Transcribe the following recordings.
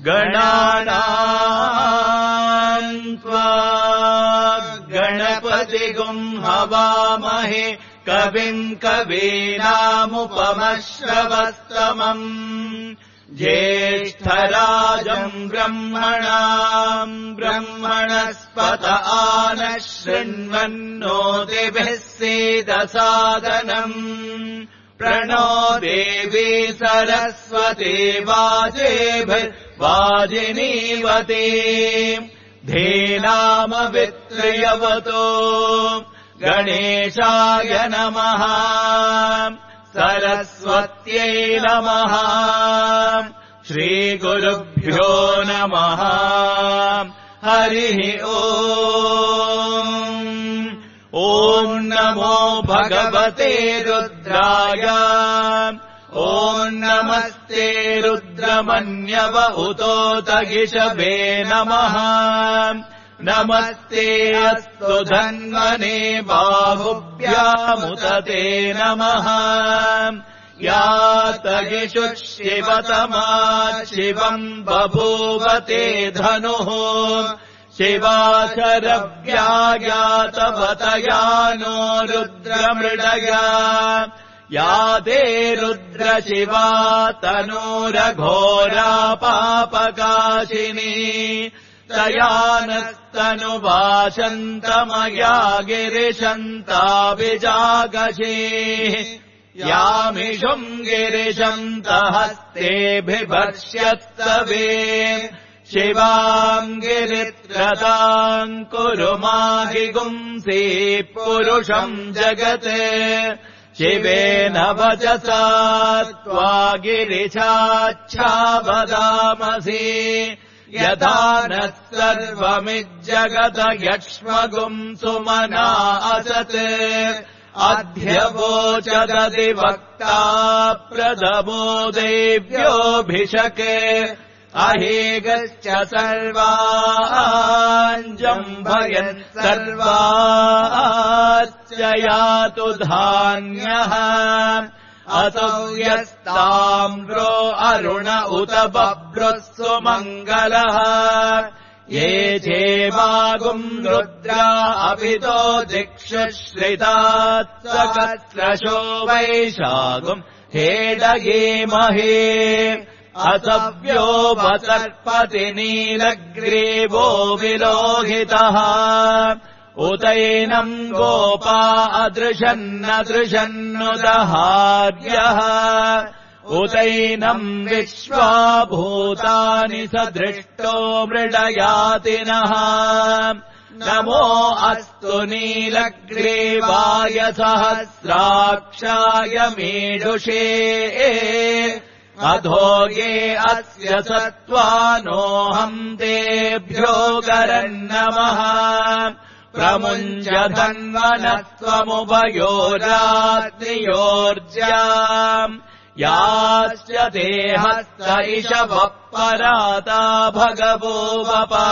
गणानाम् त्वा गणपतिगुम् हवामहे कविम् कवीनामुपमश्रवस्तमम् ज्येष्ठराजम् ब्रह्मणस्पत आनः शृण्वन्नोतिभिः सीदसादनम् प्रणो देवी सरस्वती वाजिनीवती धीनामवित्र्यवतो गणेशाय नमः सरस्वत्यै नमः श्रीगुरुभ्यो नमः हरिः ॐ नमो भगवते रुद्राय ॐ नमस्ते रुद्रमन्यव उतोतगिषभे नमः नमस्ते अस्तु धन्वने बाहुभ्यामुत ते नमः यातगिषुः शिवतमा शिवम् बभूवते धनुः शिवाशरव्यायातवतयानो रुद्रमृडया याते रुद्रशिवा तनूरघोरा पापकाशिनी तयानस्तनुवाशन्तमया गिरिशन्ताभिजागशीः यामिषुम् गिरिशन्तहस्तेऽभिभर्ष्यत्तवे शिवाम् गिरित्रताम् कुरु माहि गुंसि पुरुषम् जगत् शिवेन वचसा त्वा गिरिशाच्छावदामसि यथा नः सर्वमिज्जगत यक्ष्मगुम् सुमना असत् अध्यवोचदधिवक्ता प्रथमो देव्योऽभिषके अहेगश्च सर्वाञ्जम्भयन् सर्वाश्च यातु धान्यः असौ यस्ताम्रो अरुण उत बभ्रुः सुमङ्गलः ये चेवागुम् रुद्रा अभितो दिक्षुश्रितात्सकस्रशो वैशागुम् हेडयेमहे असव्यो वसर्पति नीलग्रीवो विलोहितः उतैनम् गोपा अदृशन्नदृशन्नुदहार्यः उतैनम् विश्वा भूतानि सदृष्टो मृडयातिनः नमो अस्तु नीलग्रीवाय सहस्राक्षाय मीढुषे अधो ये अस्य सत्त्वानोऽहम् तेभ्यो गरन्नमः प्रमुञ्च धन्वनत्वमुभयोरात्रियोर्ज्याम् याश्च देहस्त इषवः पराता भगवो वपा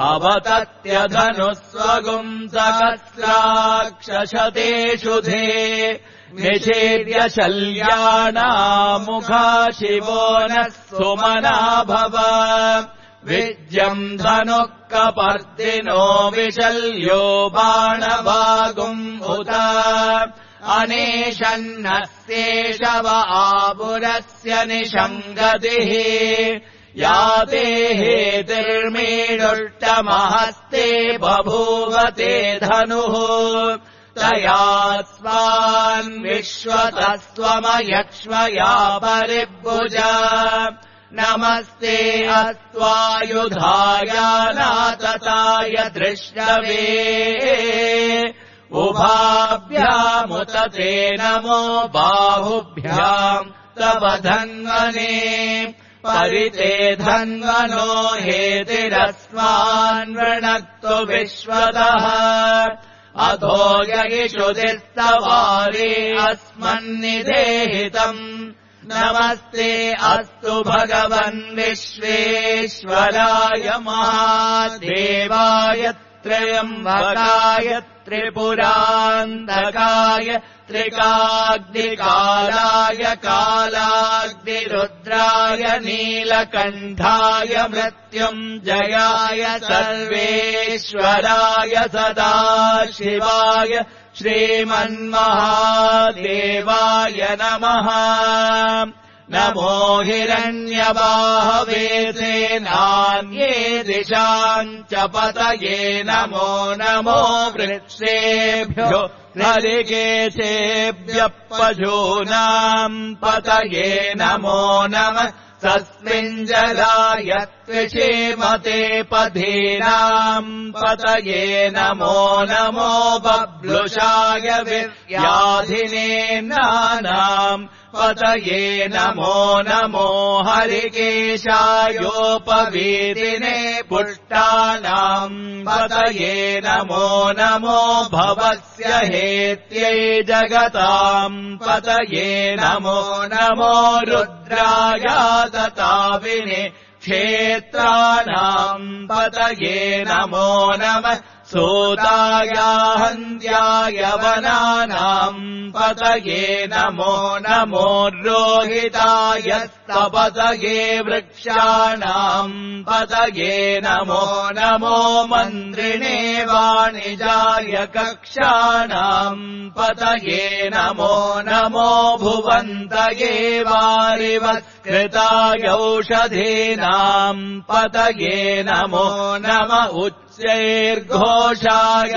अवतत्यधनुः स्वगुम् सहस्राक्षशतेषु धे निषेव्य शल्यानामुखा शिवो नः सुमना भव विज्यम् धनुः कपर्दिनो विशल्यो बाणभागुम् उत अनेशन्नस्येषव आपुरस्य निषङ्गतिः याते हेतिर्मीडुष्टमहस्ते बभूवते धनुः तया स्वान्विश्वतस्त्वमयक्ष्मया परिभुजा नमस्ते अस्त्वायुधाय नातताय दृष्टवे उभाभ्यामुत ते नमो बाहुभ्याम् तव धन्वने परिते धन्वनो हेतिरस्मान्वृणक्तु विश्वतः अधो यगिषुदिस्तवारे अस्मन्निदेहितम् नमस्ते अस्तु भगवन् विश्वेश्वराय महादेवाय त्र्यम्बकाय त्रिपुरान्तकाय त्रिकाग्निकालाय कालाग्निरुद्राय नीलकण्ठाय मृत्युञ्जयाय सर्वेश्वराय सदाशिवाय श्रीमन्महादेवाय नमः। नमो हिरण्यबाहवे सेनान्ये दिशाम् च पतये नमो नमो वृक्षेभ्यो हरिकेशेभ्यः पशूनाम् पतये नमो नमः। तस्मिञ्जलाय त्विषेमते पधीनाम् पतये नमो नमो बब्लुषाय विद्याधिनेनानाम् पतये नमो नमो हरिकेशायोपवीतिने पुष्टानाम् पतये नमो नमो भवस्य हेत्यै जगताम् पतये नमो नमो रुद्राय दताविने क्षेत्राणाम् पतये नमो नमः। सूताय हन्त्याय वनानाम् पतये नमो नमो रोहिताय स्तपतये वृक्षाणाम् पतये नमो नमो मन्त्रिणे वाणिजाय कक्षाणाम् पतये नमो नमो भुवन्तये वारिवत्कृताय औषधीनाम् पतये नमो नम उच्चैर्घोषाय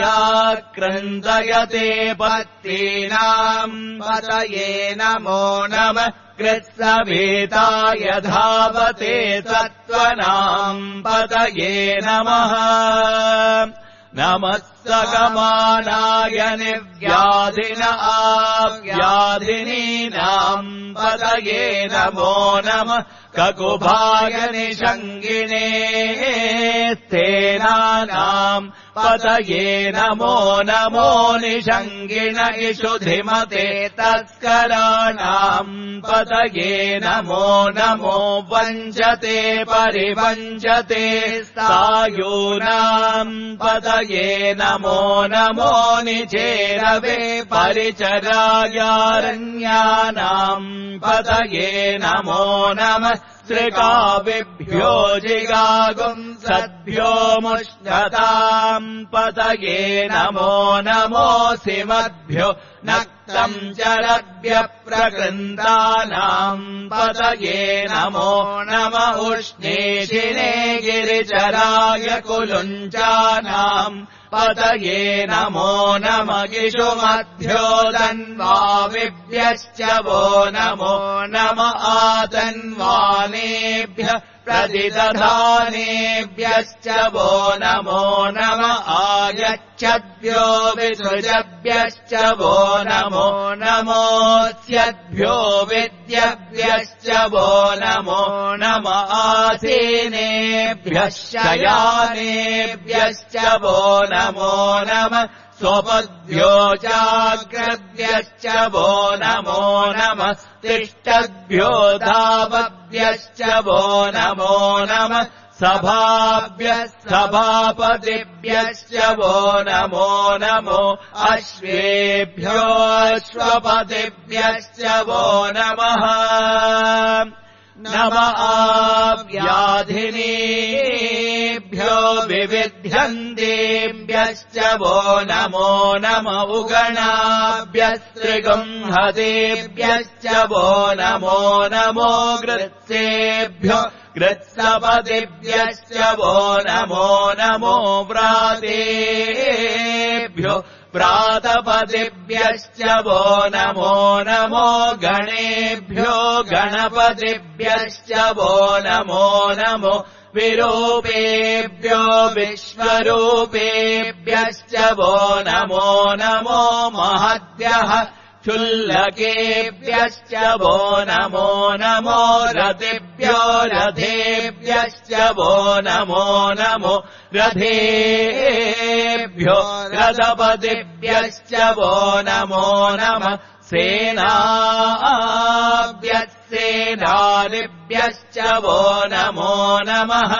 क्रन्दयते पत्तीनाम् पतये नमो नमः। कृत्सभीताय धावते सत्त्वनाम् पतये नमः। नमः सकमानाय निव्याधिन आव्याधिनीनाम् पतये नमो नमः। ककुभाय निषङ्गिणे स्थेनानाम् पतये नमो नमो निषङ्गिण इषुधिमते तस्कराणाम् पतये नमो नमो वञ्चते परिवञ्चते सायूनाम् पतये नमो नमो निचेरवे परिचरायारण्यानाम् पतये नमो नमः। श्रिकाविभ्यो जिगागुंसद्भ्यो मुष्णताम् पतये नमो नमो सिमद्भ्यो नक्तम् जलद्भ्यः प्रकृन्तानाम् पतये नमो नम उष्णेशिने गिरिचराय कुलुञ्चानाम् पतये नमो नम गिषुमध्यो तन्वाविभ्यश्च वो नमो नम आतन्वानेभ्यः प्रतिदधानेभ्यश्च वो नमो नम आयच्छद्भ्यो विसृजभ्यश्च वो नमो नमोऽस्यद्भ्यो विद्यभ्यश्च वो नमो नम आसीनेभ्यः शयानेभ्यश्च वो नमो नमः। स्वपद्भ्यो चाग्रद्भ्यश्च वो नमो नमः। तिष्ठद्भ्यो धावद्भ्यश्च वो नमो नमः। सभाभ्यः सभापतिभ्यश्च वो नमो नमो। अश्वेभ्यो अश्वपतिभ्यश्च वो नमः। नम आव्याधिनीभ्यो विविध्यन्तेभ्यश्च वो नमो नम उगणाभ्यस्त्रिगुंहतेभ्यश्च वो नमो नमो। गृत्सेभ्यो गृत्सपतिभ्यश्च वो नमो नमो। व्रातेभ्यो व्रातपतिभ्यश्च वो नमो नमो। गणेभ्यो गणपतिभ्यश्च वो नमो नमो। विरूपेभ्यो विश्वरूपेभ्यश्च वो नमो नमो। महद्भ्यः क्षुल्लकेभ्यश्च वो नमो नमो। रथेभ्यो रथेभ्यश्च वो नमो नमो। रथेभ्यो रथपतिभ्यश्च वो नमो नमः। सेनाभ्यः सेनानिभ्यश्च वो नमो नमः।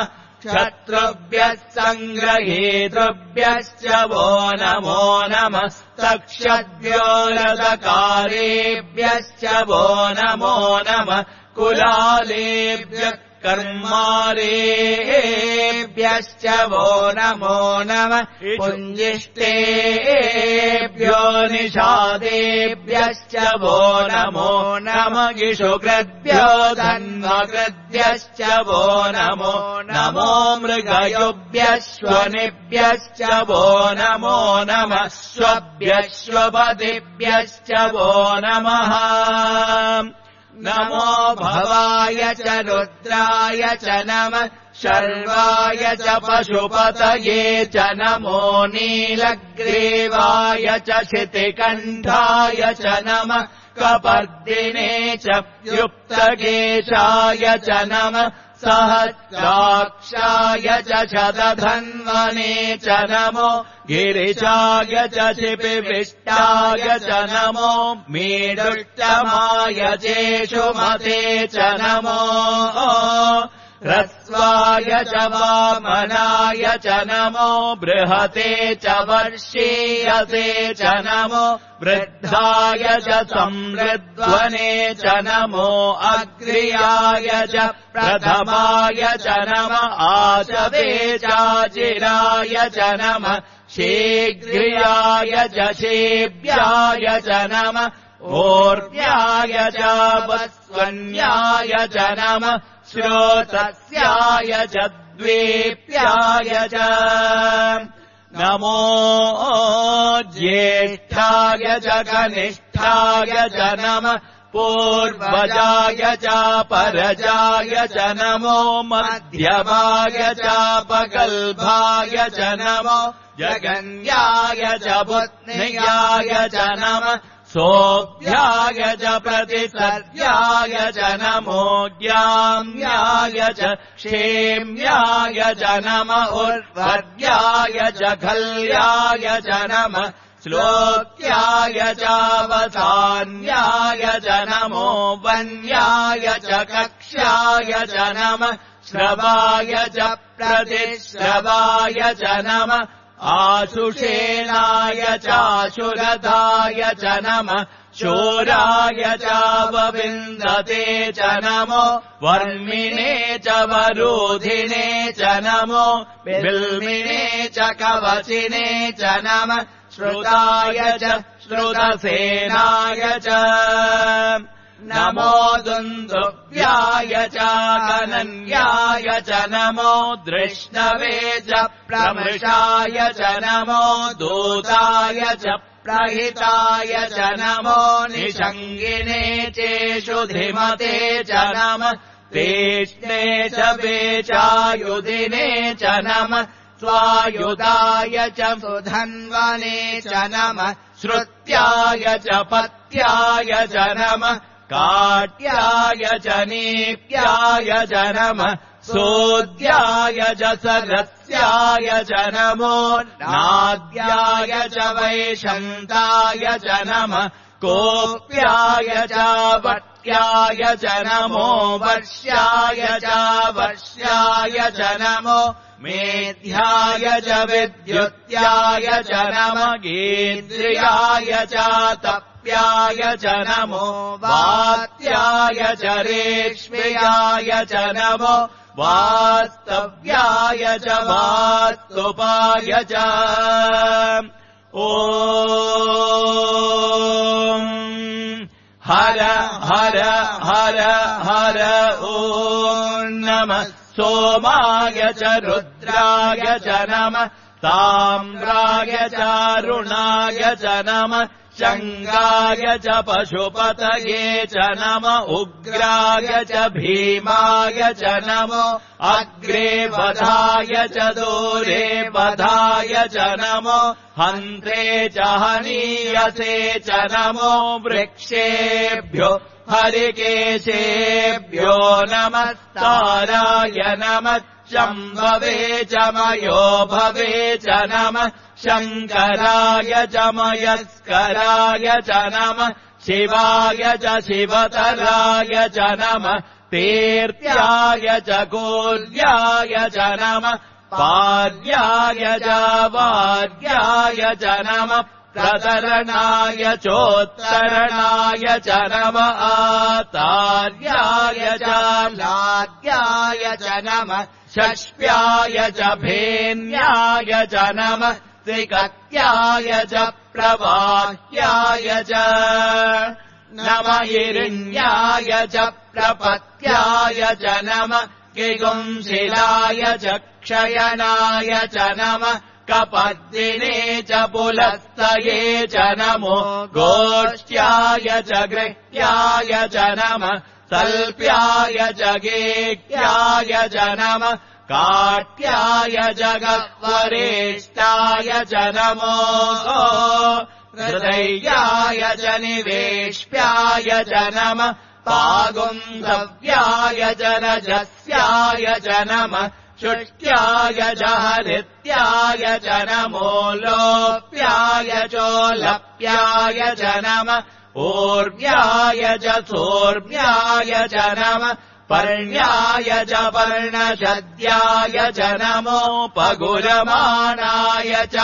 शत्रुभ्यः सङ्ग्रहेतृभ्यश्च वो नमो नमस्तक्षद्भ्यो रथकारेभ्यश्च वो नमो नमः कुलालेभ्यः कर्मारेभ्यश्च वो नमो नमः पुञ्जिष्टेभ्यो निषादेभ्यश्च वो नमो नमः गिषुकृद्भ्यो धन्वकृद्भ्यश्च वो नमो नमो मृगयुभ्यश्वनिभ्यश्च वो नमो नमः स्वभ्यश्वपतिभ्यश्च वो नमः नमो भवाय च रुद्राय च नमः शर्वाय च पशुपतये च नमो नीलग्रीवाय च शितिकण्ठाय च नमः कपर्दिने च युक्तकेशाय च नमः सहस्राक्षाय च शतधन्वने च नमो गिरिशाय च शिपिविष्टाय च नमो मेरुष्टमाय चेषुमते च नमो ह्रस्वाय च वामनाय च नमो बृहते च वर्षीयसे च नमो वृद्धाय च संवृध्वने च नमो अग्र्याय च प्रथमाय च नमः आचवे चाचिराय च नमः शीघ्र्याय च शेभ्याय च नमः ओर्व्याय च वस्वन्याय च नमः श्रोतस्याय च द्वेप्याय च नमो ज्येष्ठाय च कनिष्ठाय च नमः पूर्वजाय च परजाय च नमो मध्यमाय च पगल्भाय च नमो जगन्याय च पुत्न्याय च नमः सोऽभ्याय च प्रतिसर्याय च नमो ज्ञाम्याय च क्षेम्याय च नमः उर्वर्याय च खल्याय च नमः श्लोक्याय च वसान्याय च नमो वन्याय च कक्ष्याय च नमः श्रवाय च प्रतिश्रवाय च नमः आशुषेणाय चाशुरथाय च नमः शूराय च वविन्दते च नमो वर्मिणे च वरोधिने च नमो बिल्मिने च कवचिने च नमः श्रुताय च श्रुतसेनाय च नमो दुन्दुभ्याय च कनन्याय च नमो दृष्णवे च प्रमृषाय च नमो दूताय च प्रहिताय च नमो निषङ्गिने चेषु धिमते च नमः तेष्णे च वेचायुधिने च नमः स्वायुधाय च सुधन्वने च नमः श्रुत्याय च पत्याय च नमः काट्याय च नीप्याय च नमः सोद्याय च सरस्याय च नमो नाद्याय च वैशन्ताय च नमः कोप्याय च वट्याय च नमो वर्ष्याय च वर्ष्याय च नमो मेध्याय च विद्युत्याय च नमः गीन्द्रियाय च तप्याय च नमो वात्याय च रेष्म्याय च नमो वास्तव्याय च वास्तुपाय च ॐ हर हर हर हर ॐ नमः सोमाय च रुद्राय च नमः ताम्राय च अरुणाय च नमः शङ्गाय च पशुपतये च नमः उग्राय च भीमाय च नमो अग्रे वधाय च दूरे वधाय च नमो हन्त्रे च हनीयसे च नमो वृक्षेभ्यो हरिकेशेभ्यो नमस्ताराय नमः शम्भवे च मयो भवे च नमः शङ्कराय च मयस्कराय च नमः शिवाय च शिवतराय च नमः तीर्त्याय च कूर्याय च नमः पार्याय च वार्याय च नमः प्रतरणाय चोत्तरणाय च नमः आतार्याय च लाद्याय च नमः षष्प्याय च भेन्याय च नमः त्रिकत्याय च प्रवाह्याय च नमः हिरण्याय च प्रपत्याय च नमः किगुंशिलाय च क्षयनाय च नमः कपद्दिने च पुलस्तये च नमो गोष्ठ्याय च गृह्याय च नमः सल्प्याय च गेह्याय च नमः काट्याय च गह्वरेष्टाय च नमो हृदयाय च निवेश्याय च नमः पागुन्धव्याय च रजस्याय च नमः शुष्ट्याय च हरित्याय च नमो लोप्याय चोलप्याय च नमः ऊर्व्याय च सोर्व्याय च नमः पर्ण्याय च पर्णशद्याय च नमोपगुरमाणाय च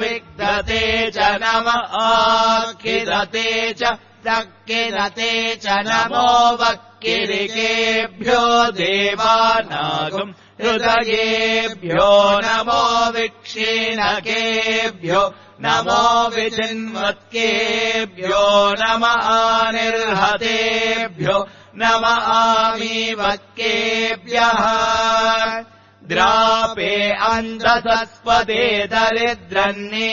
विग्धते च नमः आखिदते च प्रक्किदते च नमो वक्किरिकेभ्यो देवानागम् हृदयेभ्यो नमो विक्षीणकेभ्यो नमो विचिन्वत्केभ्यो नमः निर्हतेभ्यो नमः आमीवत्केभ्यः द्रापे अन्धसस्पदे दरिद्रन्नीललोहिता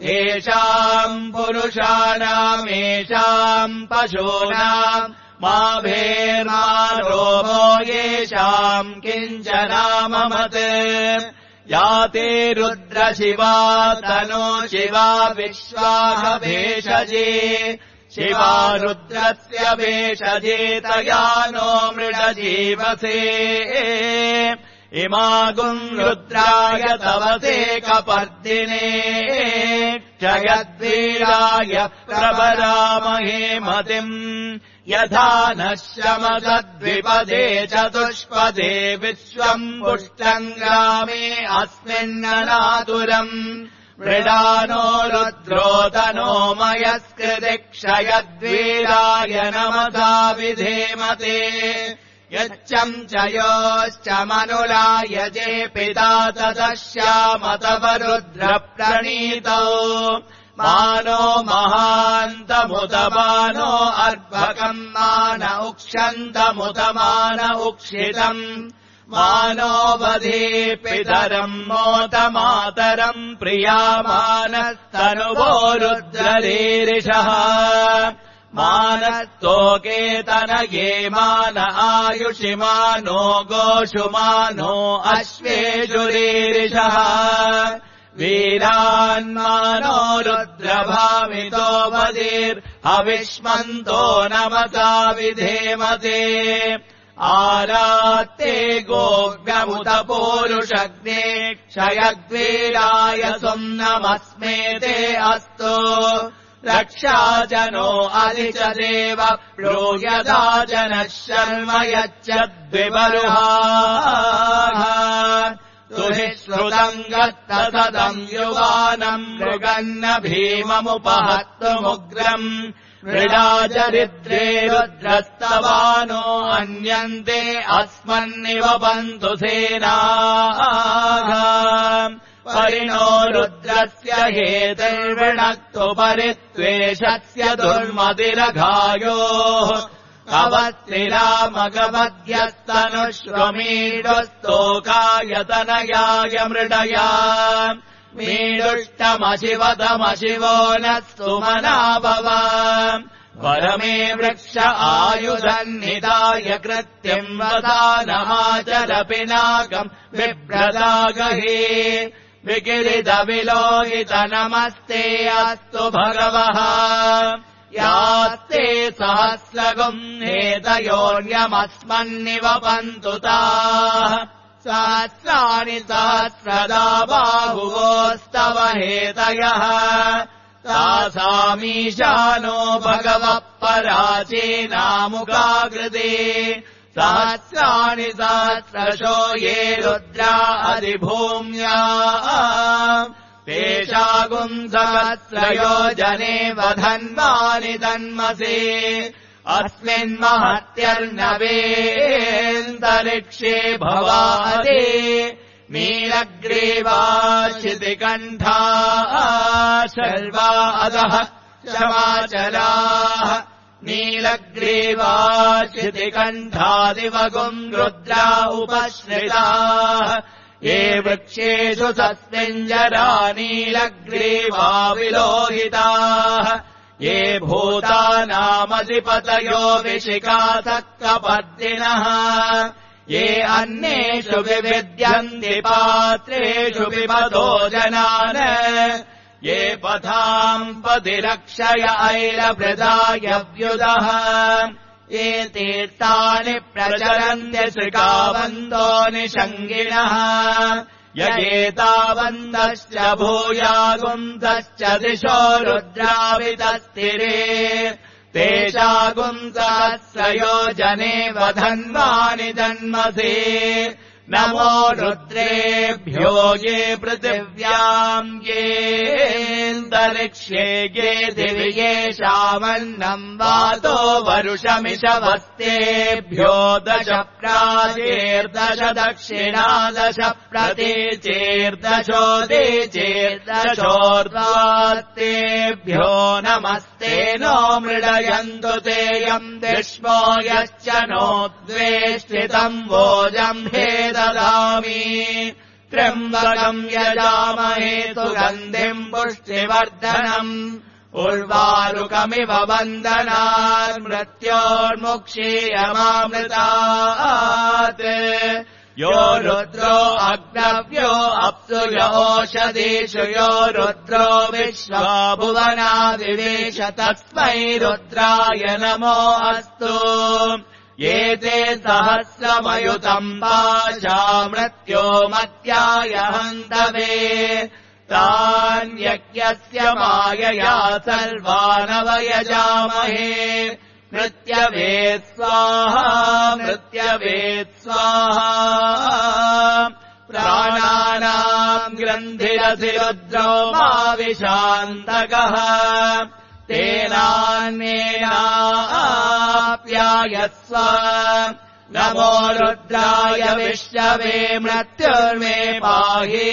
येषाम् पुरुषाणामेषाम् पशूनाम् मा भेर्मारोमो येषाम् किञ्चनाममत् याते रुद्रशिवा तनो शिवा विश्वाह भेषजे शिवा रुद्रस्य भेषजे तया नो मृडजीवसे इमागुम् रुद्राय तवसे कपर्दिने क्षयद्वीराय प्रवरामहे मतिम् यथा नः शमदद्विपदे चतुष्पदे विश्वम् पुष्टम् ग्रामे अस्मिन्ननातुरम् मृडानो रुद्रोदनो मयस्कृति क्षयद्वीराय नमसा विधेमते यच्चम् च योश्च मनुलाय जे पिता तदश्यामतवरुद्रप्रणीतौ मानो महान्तमुदमानो अर्भकम् मान उक्षन्तमुदमान उक्षितम् मानो वधे पितरम् मोतमातरम् प्रियामानस्तनुवो रुद्ररीरिषः मानस्तोकेतनये मान आयुषि मानो गोषु मानो अश्वेषुरीरिषः वीरान्मानो रुद्रभामितो वधीर्हविष्मन्तो नमसा विधेमते आरात्ते गोव्यमुत पूरुषग्ने क्षयद्वीराय सुम्नमस्मेते अस्तु रक्षाजनो अधिच देव प्लूयदा जनः शर्म यच्चद्विबरुहाः तुहि श्रुतम् गत्तसदम् युवानम् मृगन्न भीममुपहत्तुमुग्रम् मृडाचरिद्रे रुद्रस्तवानो अन्यन्ते अस्मन्निव पन्तु सेनाः परिणो रुद्रस्य हेतैर्वृणक्तु परित्वेषस्य दुर्मतिरघायोः अवत्तिरामगवद्यस्तनुष्वमीडुस्तोकायतनयाय मृडया मीडुष्टमशिवतमशिवो नः सुमनाभव परमे वृक्ष आयुधन्निदाय कृत्यम् वदानमाचर पिनाकम् बिभ्रदागहे विकिरितविलोहित नमस्ते अस्तु भगवः यास्ते सहस्रगुम् नेतयोऽन्यमस्मन्निव पन्तु ताः सहस्राणि सहस्रदा बाहुवोस्तव हेतयः तासामीशानो भगवः पराचीनामुखाकृते सहस्राणि सहस्रशो ये रुद्रा अधिभूम्या तेषागुम् सहस्रयोजने वधन्वानि तन्मसे अस्मिन्महत्यर्नवेऽन्तरिक्षे भवादे नीलग्रीवा शितिकण्ठा शर्वा अधः शमाचलाः नीलग्रीवा शितिकण्ठादिवगुम् रुद्रा उपश्रिताः ये वृक्षेषु सस्मिञ्जरा नीलग्रीवा विलोहिताः ये भूतानामधिपतयो विशिखासक्तपद्दिनः ये अन्येषु विविद्यन्ति पात्रेषु विपदो जनान् ये पथाम् पतिरक्षय ऐरभृदायव्युदः ये तीर्थानि प्रचरन्त्य श्रिकावन्दो निषङ्गिणः यगेतावन्दश्च भूयागुंसश्च दिशो रुद्रावितस्तिरे तेषागुंसहस्रयोजने वधन्वानि जन्मसे नमो रुद्रेभ्यो ये पृथिव्याम् येऽन्तरिक्ष्ये ये दिवि येषामन्नम् वातो वरुषमिषवस्तेभ्यो 10 प्राचीर्दश दक्षिणा 10 प्रतीचीर्दशोदीचीर्दशोर्ध्वास्तेभ्यो नमस्ते नो मृडयन्तु तेऽयम् विष्मो यश्च नो द्वेष्टितम् वोजम् ददामि त्र्यम्बकम् यजामहे सुगन्धिम् पुष्टिवर्धनम् उर्वारुकमिव वन्दनात् मृत्योर्मुक्षीयमामृतात् यो रुद्रो अग्नव्यो अप्सु योषधीषु यो रुद्रो विश्वा भुवना विवेश तस्मै रुद्राय नमो अस्तु ये ते सहस्रमयुतम् पाशा मृत्यो मत्याय हन्तवे तान्यज्ञस्य मायया सर्वानवयजामहे मृत्यवे स्वाहा मृत्यवे स्वाहा प्राणानाम् ग्रन्थिरधिरुद्रो माविशान्तकः तेनान्येनाप्यायस्व नमो रुद्राय विश्ववे मृत्युर्मे पाहि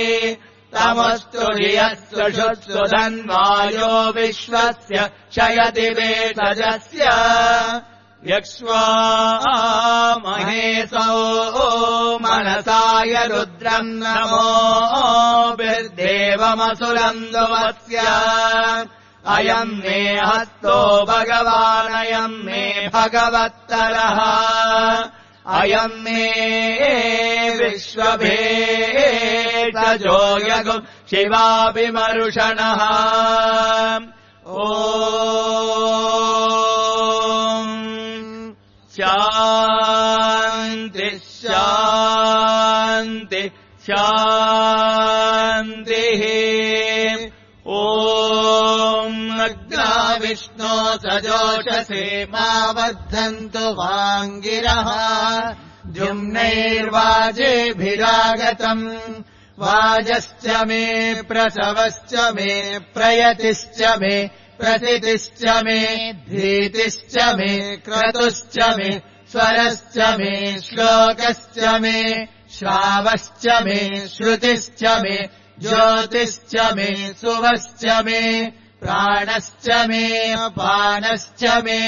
तमस्तु धियस्तु शुत्सु धन्वायो विश्वस्य शयति वेतजस्य यक्ष्वा महेशो मनसाय रुद्रम् नमो बिर्देवमसुरम् दुवस्य अयम् मे हस्तो भगवानयम् मे भगवत्तरः अयम् मे विश्वभेषजो यगु शिवाभिमरुषणः ॐ शान्ति शान्ति शान्तिः नग्ना विष्णो सजोषसे मा वर्धन्तु वाङ्गिरः द्युम्नैर्वाजेभिरागतम् वाजश्च मे प्रसवश्च मे प्रयतिश्च मे प्रसितिश्च मे धीतिश्च मे क्रतुश्च मे स्वरश्च मे श्लोकश्च मे श्रावश्च मे श्रुतिश्च मे ज्योतिश्च मे सुवश्च मे प्राणश्च मे अपानश्च मे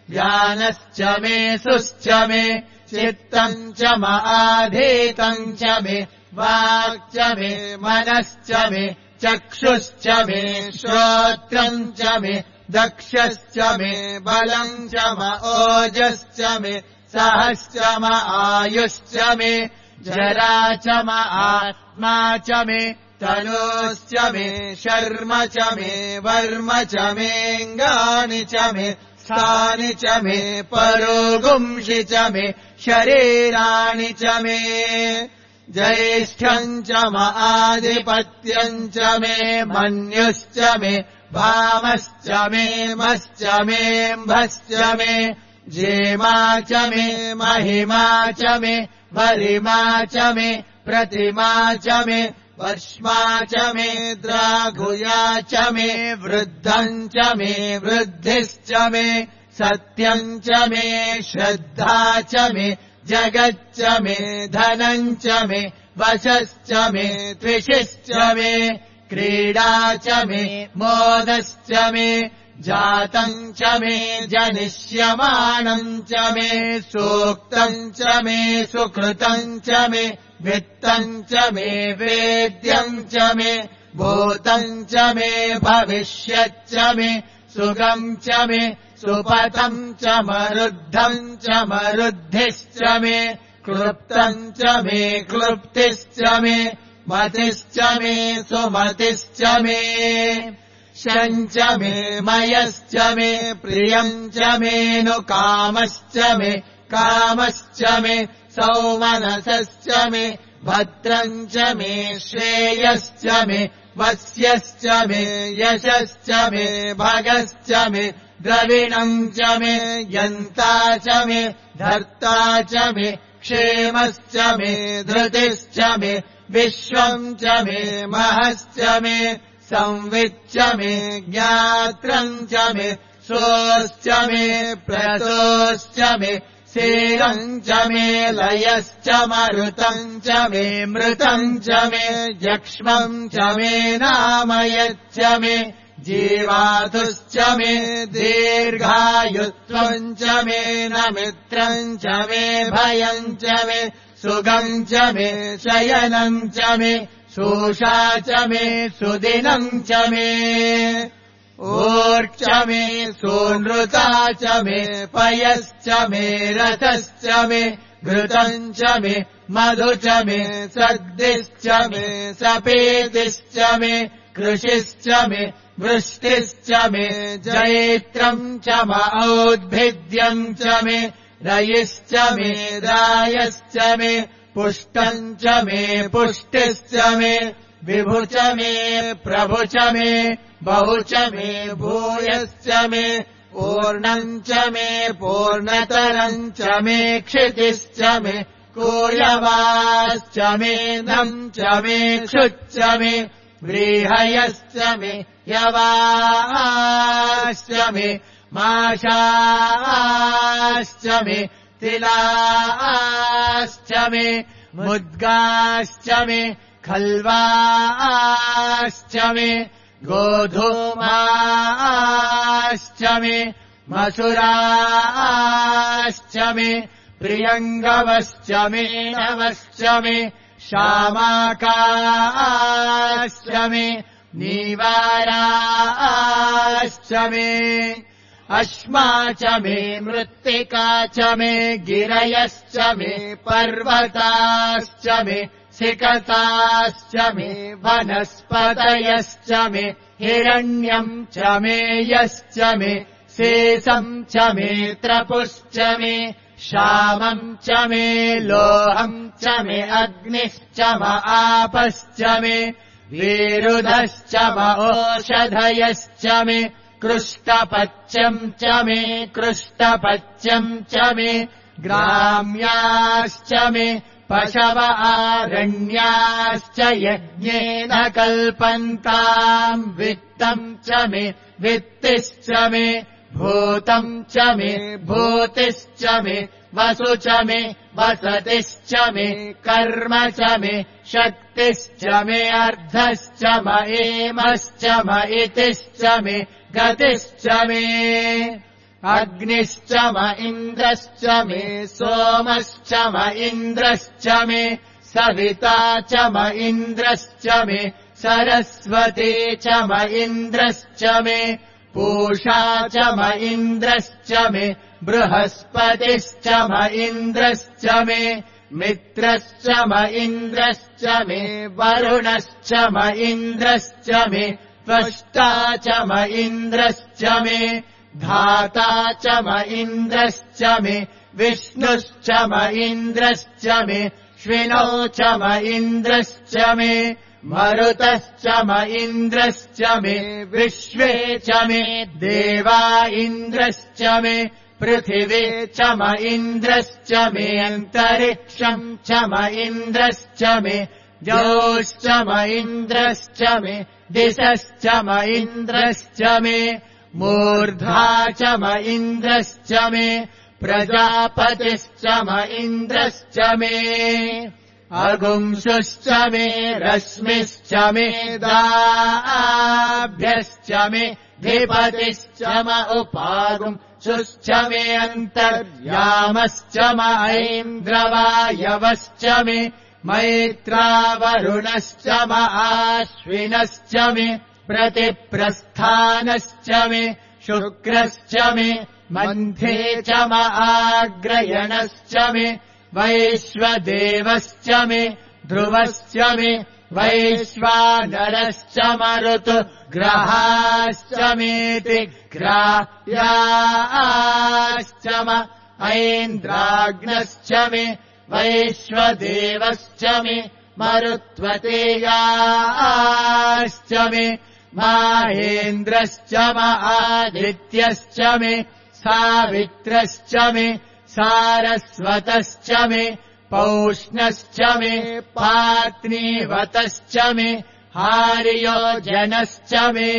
ज्ञानश्च मे सुश्च मे चित्तम् च आधीतम् च मे वाक् च मे मनश्च मे चक्षुश्च मे श्रोत्रम् च मे दक्षश्च मे बलम् च ओजश्च मे सहश्च आयुश्च मे जरा च आत्मा च मे तनोश्च मे शर्म च मे वर्म च मेऽङ्गानि च मे स्थानि च मे परोगुंषि च मे शरीराणि च मे ज्येष्ठम् च आधिपत्यम् च मे मन्युश्च मे भामश्च मे मश्च मेऽम्भश्च मे जेमा च मे महिमा च मे वरिमा च मे प्रतिमा च मे वर्ष्मा च मे द्राघुया च मे वृद्धम् च मे वृद्धिश्च मे सत्यम् च मे श्रद्धा च मे जगच्च मे धनम् च मे वशश्च मे त्विषिश्च मे क्रीडा च मे मोदश्च मे जातम् च मे जनिष्यमाणम् च मे सूक्तम् च मे सुकृतम् च मे वित्तम् च मे वेद्यम् च मे भूतम् च मे भविष्यच्च मे सुगम् च मे सुपथम् च मरुद्धम् च मरुद्धिश्च मे क्लृप्तम् च मे क्लृप्तिश्च मे मतिश्च मे सुमतिश्च मे शम् च मे मयश्च मे प्रियम् च मेऽनुकामश्च मे कामश्च मे सौमनसश्च मे भद्रम् च मे श्रेयश्च मे वस्यश्च मे यशश्च मे भगश्च मे द्रविणम् च मे यन्ता च मे धर्ता च मे क्षेमश्च मे धृतिश्च मे विश्वम् च मे महश्च मे संविच्च मे ज्ञात्रम् च मे सोऽश्च मे प्रतोश्च मे सेरम् च मे लयश्च मरुतम् च मे मृतम् च मे यक्ष्मम् च मे नामयच्च मे जीवातुश्च मे दीर्घायुत्वम् च मे नमित्रम् च मे भयम् च मे सुगम् च मे शयनम् च मे शोषा च मे सुदिनम् च मे ऊर्च मे सोनृता च मे पयश्च मे रथश्च मे घृतम् च मे मधु च मे सद्दिश्च मे सपेतिश्च मे कृषिश्च मे वृष्टिश्च मे जैत्रम् च औद्भिद्यम् च मे रयिश्च मे रायश्च मे पुष्टम् च मे पुष्टिश्च मे विभु च मे प्रभु च मे बहु च मे भूयश्च मे पूर्णम् च मे पूर्णतरम् च मे क्षितिश्च मे कूयवाश्च मे नम् च मे क्षुच्च मे व्रीहयश्च मे यवाश्च मे माशाश्च मे तिलाश्च मे मुद्गाश्च मे खल्वाश्च मे गोधूमाश्च मे मसुराश्च मे प्रियङ्गवश्च मे नवश्च मे शामाकाश्च मे नीवाराश्च मे अश्मा च मे मृत्तिका च मे गिरयश्च मे पर्वताश्च मे सिकताश्च मे वनस्पतयश्च मे हिरण्यम् च मे यश्च मे शेषम् च मे त्रपुश्च मे श्यामम् च मे लोहम् च मे अग्निश्च म आपश्च मे विरुधश्च म ओषधयश्च मे कृष्टपच्यम् च मे कृष्टपच्यम् च मे ग्राम्याश्च मे पशव आरण्याश्च यज्ञेन कल्पन्ताम् वित्तम् च मे वित्तिश्च मे भूतम् च मे भूतिश्च मे वसु च मे वसतिश्च मे कर्म च मे शक्तिश्च मे अर्धश्च म एमश्च म इतिश्च मे गतिश्च मे अग्निश्च म इन्द्रश्च मे सोमश्च म इन्द्रश्च मे सविता च म इन्द्रश्च मे सरस्वती च म इन्द्रश्च मे पूषा च म इन्द्रश्च मे बृहस्पतिश्च म इन्द्रश्च मे मित्रश्च म इन्द्रश्च मे वरुणश्च म इन्द्रश्च मे त्वष्टा च म इन्द्रश्च मे धाता च म इन्द्रश्च मे विष्णुश्च म इन्द्रश्च मे श्विनो च म इन्द्रश्च मे मरुतश्च म इन्द्रश्च मे विश्वे च मे देवा इन्द्रश्च मे पृथिवी च म इन्द्रश्च मे अन्तरिक्षम् च म इन्द्रश्च मे द्यौश्च म इन्द्रश्च मे दिशश्च म इन्द्रश्च मे मूर्धा च म इन्द्रश्च मे प्रजापतिश्च म इन्द्रश्च मे अगुंसुश्च मे रश्मिश्च मे दाभ्यश्च मे धिपतिश्च म उपागुंसुश्च मे अन्तर्यामश्च म ऐन्द्रवायवश्च मे मैत्रावरुणश्च म आश्विनश्च मे प्रतिप्रस्थानश्च मे शुक्रश्च मे मन्थे च म आग्रयणश्च मे वैश्वदेवश्च मे ध्रुवश्च मे वैश्वानरश्च मरुतुग्रहाश्च मेति ग्राह्याश्च म ऐन्द्राग्नश्च मे वैश्वदेवश्च मे मरुत्वतेयाश्च मे माहेन्द्रश्च म आदित्यश्च मे सावित्रश्च मे सारस्वतश्च मे पौष्णश्च मे पात्नीवतश्च मे हार्योजनश्च मे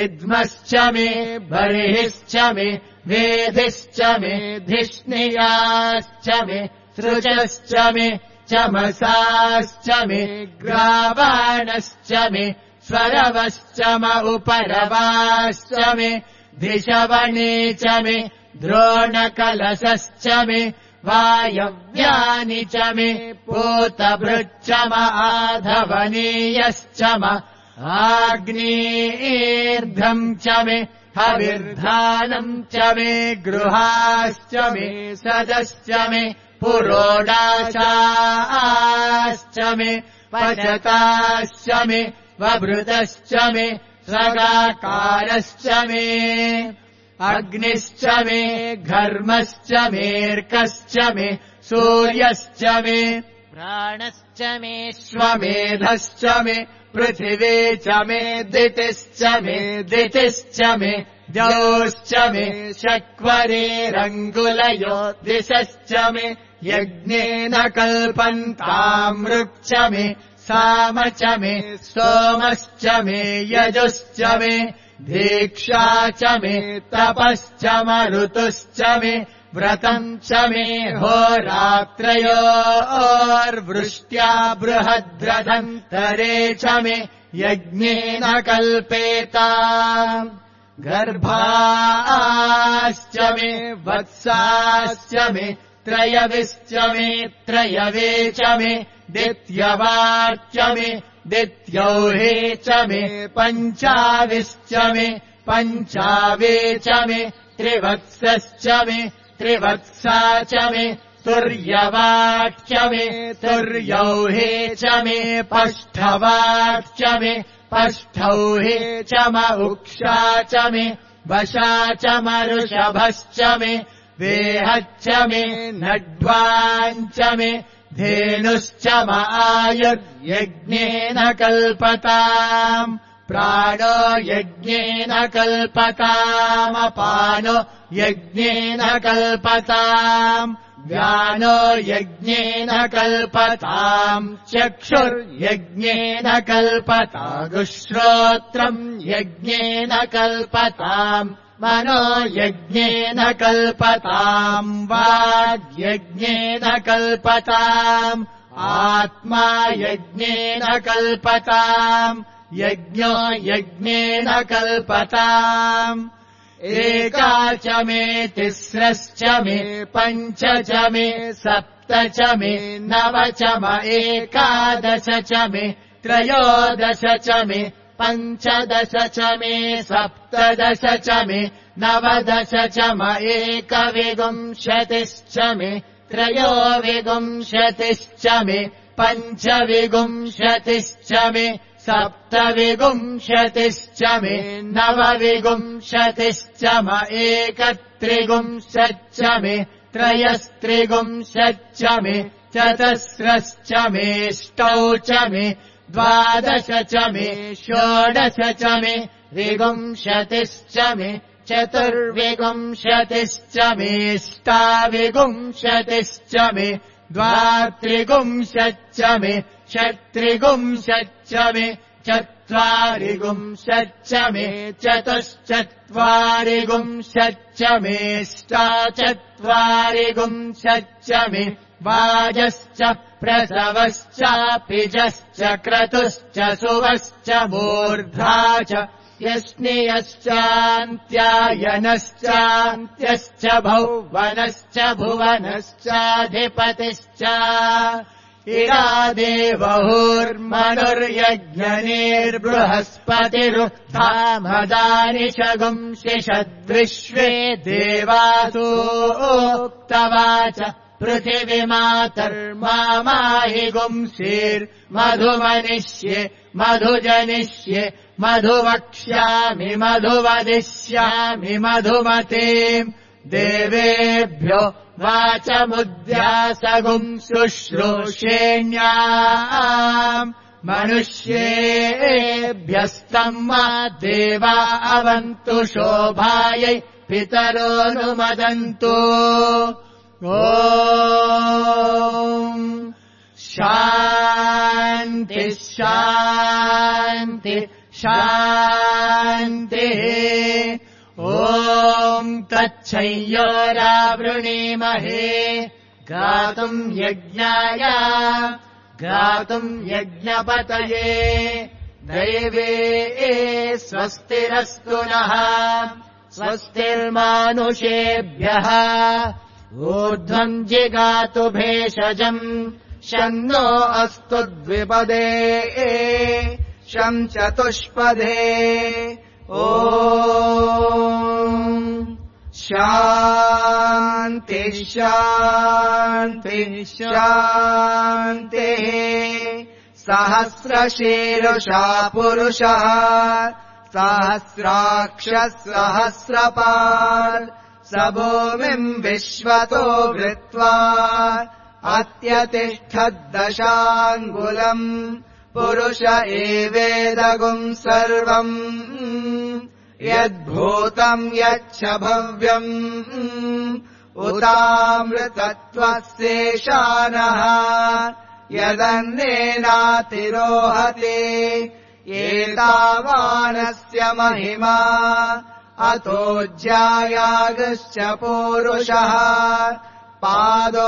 इद्मश्च मे बर्हिश्च मे वेधिश्च मे धिष्णियाश्च मे सृजश्च मे चमसाश्च मे ग्रावाणश्च मे स्वरवश्च म उपरवाश्च मे धिषवणे च मे द्रोणकलशश्च मे वायव्यानि च मे पूतभृच्च म आधवनीयश्च म आग्नेर्ध्रम् च मे हविर्धानम् च मे गृहाश्च मे सदश्च मे पुरोडाशाश्च मे पचताश्च मे वभृतश्च मे सगाकारश्च मे अग्निश्च मे घर्मश्च मेऽर्कश्च मे सूर्यश्च मे प्राणश्च मे श्वमेधश्च मे पृथिवी च मे दितिश्च मे दितिश्च मे द्यौश्च मे शक्वरेरङ्गुलयो दिशश्च मे यज्ञेन कल्पन्तामृक् च मे साम च मे सोमश्च मे यजुश्च मे दीक्षा च मे तपश्च मरुतुश्च मे व्रतम् च मे होरात्रयोर्वृष्ट्या बृहद्रथन्तरे च मे यज्ञेन कल्पेताम् गर्भाश्च मे वत्साश्च मे त्रयविश्च मे त्रयवे च मे दित्यवाच्च मे दित्यौहे च मे पञ्चाविश्च मे पञ्चावे च मे त्रिवत्सश्च मे त्रिवत्सा च मे तुर्यवाच्च मे तुर्यौहे च मे पष्ठवाच्च मे पष्ठौहे च म उक्षा च मे वशा च मरुषभश्च मे वेहच्च मे नड्वाञ्च मे धेनुश्च म आयुर्यज्ञेन कल्पताम् प्राणो यज्ञेन कल्पतामपानो यज्ञेन कल्पताम् व्यानो यज्ञेन कल्पताम् चक्षुर्यज्ञेन कल्पतागुश्रोत्रम् यज्ञेन कल्पताम् मनो यज्ञेन कल्पताम् वाग्यज्ञेन कल्पताम् आत्मा यज्ञेन कल्पताम् यज्ञो यज्ञेन कल्पताम् एका च मे तिस्रश्च मे पञ्च च मे सप्त च मे नव च म एकादश च मे त्रयोदश च मे पञ्चदश च मे सप्तदश च मे नवदश च म एकविंशतिश्च मे त्रयोविंशतिश्च मे पञ्चविंशतिश्च मे सप्तविंशतिश्च मे नवविंशतिश्च म एकत्रिंशच्च मे त्रयस्त्रिंशच्च मे चतस्रश्च मेष्टौ च मे द्वादश च मे षोडश च मे विगुंशतिश्च मे चतुर्विगुंशतिश्च मेष्टाविगुंशतिश्च मे द्वात्रिगुंशच्च मे षट्त्रिगुंशच्च मे चत्वारिगुंशच्च मे चतुश्चत्वारिगुंशच्च मेष्टाचत्वारिगुंशच्च मे वाजश्च प्रसवश्चापिजश्च क्रतुश्च सुवश्च मूर्धा च यष्णियश्चान्त्यायनश्चान्त्यश्च भौवनश्च भुवनश्चाधिपतिश्च इरादेवहुर्मनुर्यज्ञनेर्बृहस्पतिरुत्थामदानि शगुंसिषद्विश्वे देवासूक्तवाच पृथिवीमातर्माहि गुंसीर्मधुमनिष्ये मधुजनिष्ये मधुवक्ष्यामि मधुवदिष्यामि मधुमतीम् देवेभ्यो वाचमुद्यासगुंशुश्रूषेण्याम् मनुष्येभ्यस्तम् मा देवा अवन्तु शोभायै पितरोऽनुमदन्तु ॐ शान्ति शान्ति शान्तिः ॐ तच्छय्योरावृणीमहे गातुम् यज्ञाय गातुम् यज्ञपतये दैवे स्वस्तिरस्तु नः स्वस्तिर्मानुषेभ्यः ऊर्ध्वम् जिगातु भेषजम् शन्नो अस्तु द्विपदे शं चतुष्पदे ॐ शान्ति शान्ति शान्तिः सहस्रशीर्षा पुरुषः सहस्राक्षः सहस्रपात् स भूमिम् विश्वतो वृत्वा अत्यतिष्ठद्दशाङ्गुलम् पुरुष एवेदगुम् सर्वम् यद्भूतम् यच्च भव्यम् उतामृतत्वस्येषानः यदन्नेनातिरोहति एतावानस्य महिमा अतोऽज्यायागश्च पूरुषः पादोऽस्य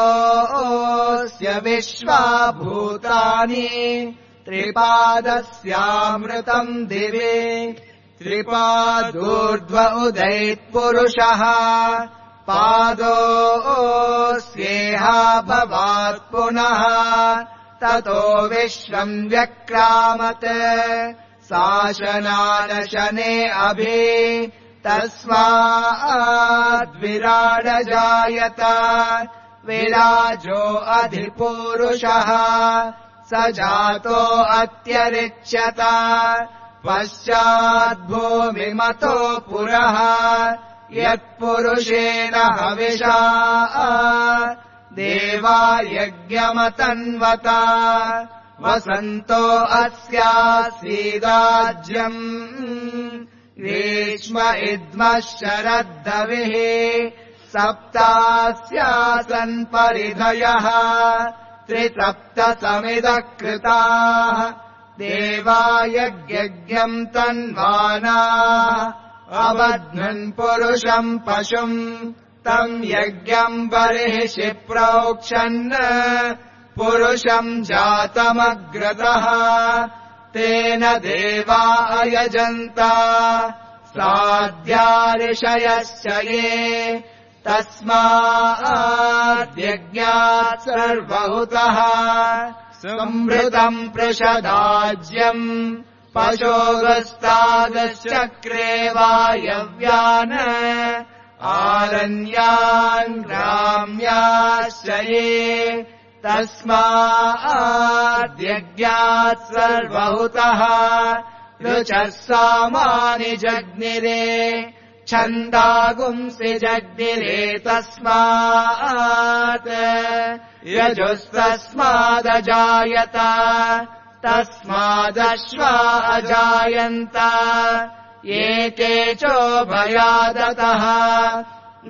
विश्वाभूतानि त्रिपादस्यामृतम् दिवे त्रिपादूर्ध्व उदैत्पुरुषः पादोऽस्येहा भवात् पुनः ततो विश्वम् व्यक्रामत् शासनानशने अभि तस्माद्विराडजायत विराजो अधिपूरुषः स जातो अत्यरिच्यत पश्चाद्भूमिमतो पुरः यत्पुरुषेण हविषा देवा यज्ञमतन्वता वसन्तो अस्यासीदाज्यम् ग्रीष्म इद्मः शरद्धविः सप्तास्यासन् परिधयः त्रिसप्तसमिदः कृताः देवा यज्ञम् तन्वानाः अबध्नन् पुरुषम् पशुम् तम् यज्ञम् बर्हिषि प्रोक्षन् पुरुषम् जातमग्रतः तेन देवा अयजन्त साध्याऋषयश्च ये तस्माद्यज्ञात् सर्वहुतः संभृतम् पृषदाज्यम् पशोगस्तादश्चक्रे वायव्यान् आरण्यान् ग्राम्याश्च ये तस्माद्यज्ञात् सर्वहुतः ऋचः सामानि जग्निरे छन्दागुंसि जग्निरे तस्मात् यजुस्तस्मादजायत तस्मादश्वा अजायन्त एके चोभयादतः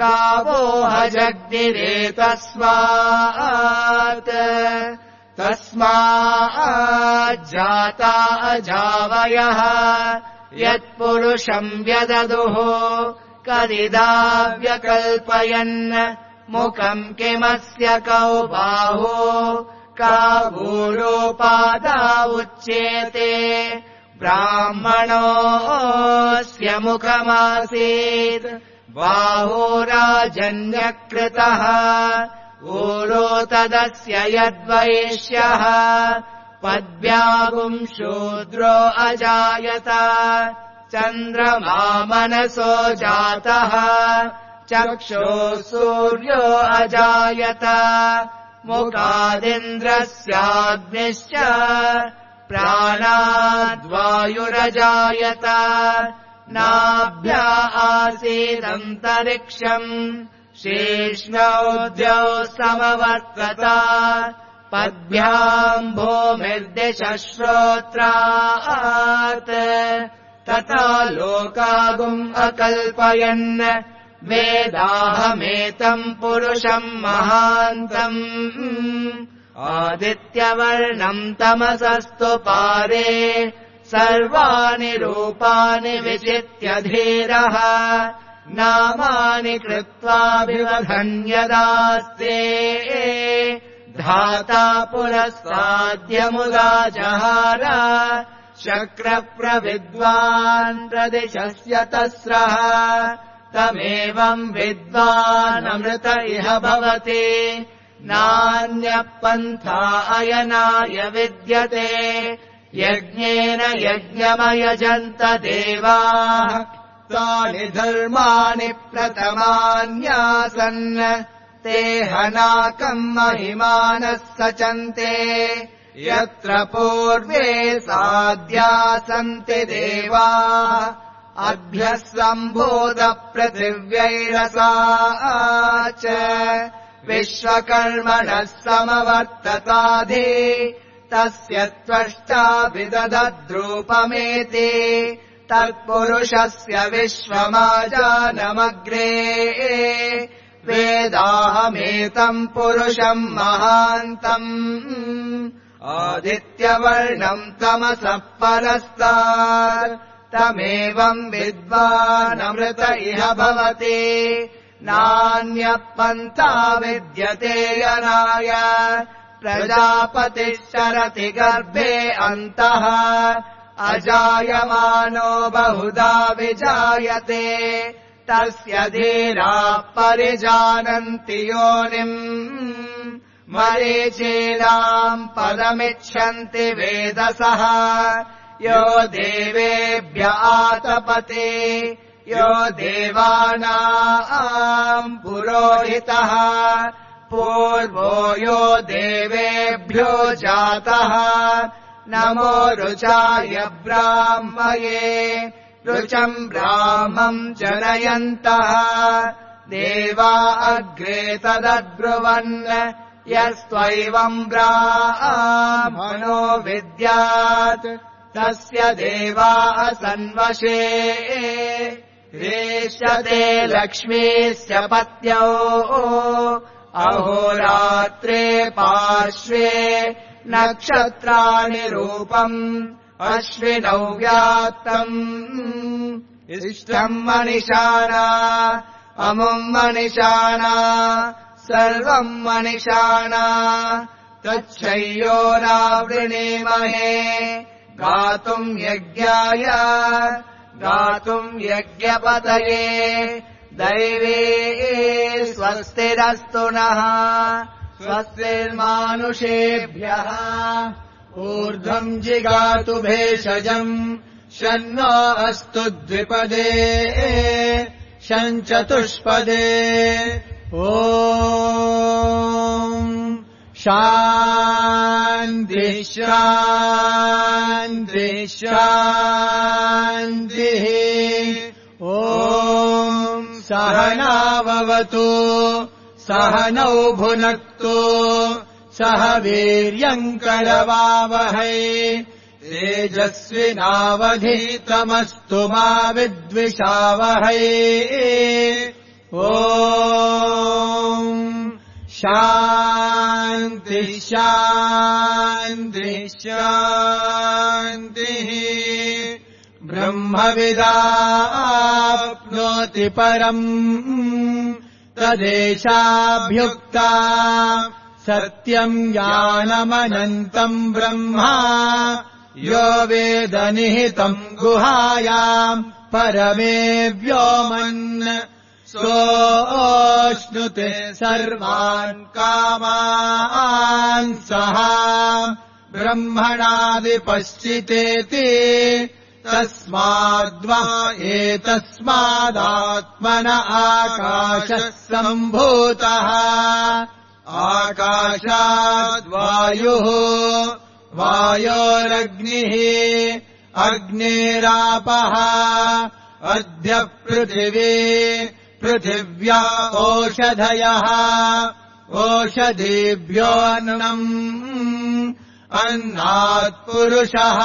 गावो हजग्निरे तस्माज्जाता अजावयः यत्पुरुषम् व्यददुः कदिदाव्यकल्पयन् मुखम् किमस्य कौ बाहो कावूरोपादा उच्येते ब्राह्मणोऽस्य मुखमासीत् बाहो राजन्यकृतः ऊरो तदस्य यद्वैश्यः पद्भ्यागुम् शूद्रो अजायत चन्द्रमा मनसो जातः चक्षुः सूर्यो अजायत मुखादिन्द्रस्याग्निश्च प्राणाद्वायुरजायत नाभ्या आसीदन्तरिक्षम् शेष्णौ द्यौ समवर्तत पद्भ्याम् भूमिर्दिशश्रोत्रात् तथा लोकागुम् अकल्पयन् वेदाहमेतम् पुरुषम् महान्तम् आदित्यवर्णम् तमसस्तु पारे सर्वाणि रूपाणि विचित्य धीरः नामानि कृत्वाभिवधन्यदास्ते धाता पुरस्ताद्यमुदा जहार शक्रप्रविद्वान् प्रदिशस्य तस्रः तमेवम् विद्वानमृत इह भवति नान्यः पन्था अयनाय विद्यते यज्ञेन यज्ञमयजन्त देवाः तानि धर्माणि प्रथमान्यासन् ते हनाकम् महिमानः सचन्ते यत्र पूर्वे साध्या सन्ति देवाः अभ्यः सम्भूतपृथिव्यैरसा च विश्वकर्मणः समवर्तताधि तस्य त्वष्टा विदधद्रूपमेति तत्पुरुषस्य विश्वमाजानमग्रे वेदाहमेतम् पुरुषम् महान्तम् आदित्यवर्णम् तमसः परस्तात् तमेवम् विद्वानमृत इह भवति नान्यः पन्था विद्यते यनाय प्रजापतिः शरति गर्भे अन्तः अजायमानो बहुधा विजायते तस्य धीराः परिजानन्ति योनिम् मरीचीनाम् पदमिच्छन्ति वेदसः यो देवेभ्य आतपते यो देवानाम् पुरोहितः पूर्वो यो देवेभ्यो जातः नमो रुचाय ब्राह्मये रुचम् ब्राह्मम् जनयन्तः देवा अग्रे तदब्रुवन् यस्त्वैवम् ब्राह्मणो विद्यात् तस्य देवा असन्वशे रेष्यते लक्ष्मीस्य पत्यौ अहोरात्रे पार्श्वे नक्षत्राणि रूपम् अश्विनौ व्याप्तम् इष्टम् मनिषाणा अमुम् मनिषाणा सर्वम् मनिषाणा तच्छय्योरावृणीमहे गातुम् यज्ञाय गातुम् यज्ञपतये दैवे स्वस्तिरस्तु नः स्वस्तिर्मानुषेभ्यः ऊर्ध्वम् जिगातु भेषजम् शन्नो अस्तु द्विपदे शञ्चतुष्पदे ॐ शान्ति शान्ति शान्तिः ॐ सहनाववतु सहनौ भुनक्तु सह वीर्यम् करवावहै तेजस्विनावधीतमस्तु मा विद्विषावहै ॐ शान्ति शान्ति शान्तिः ब्रह्मविदाप्नोति परम् तदेशाभ्युक्ता सत्यम् ज्ञानमनन्तम् ब्रह्मा यो वेद निहितम् गुहायाम् परमे व्योमन् सोऽश्नुते सर्वान् कामान् सः ब्रह्मणादिपश्चितेति तस्माद्वा एतस्मादात्मन आकाशः सम्भूतः आकाशाद्वायुः वायोरग्निः अग्निरापः अद्य पृथिवी पृथिव्या ओषधयः ओषधीभ्योऽन्नम् अन्नात्पुरुषः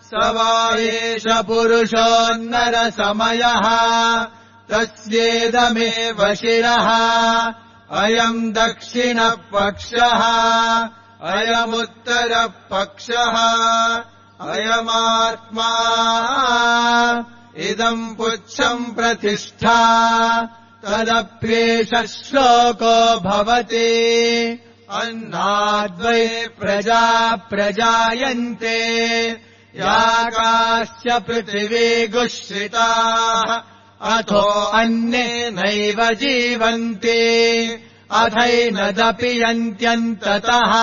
स वा एष पुरुषोन्नरसमयः तस्येदमेव शिरः अयम् दक्षिणपक्षः अयमुत्तरपक्षः अयमात्मा इदम् पुच्छम् प्रतिष्ठा तदप्येष श्लोको भवति अन्नाद्वै प्रजा प्रजायन्ते याकाश्च पृथिवी गुश्रिताः अथो अन्नेनैव जीवन्ति अथैनदपि यन्त्यन्ततः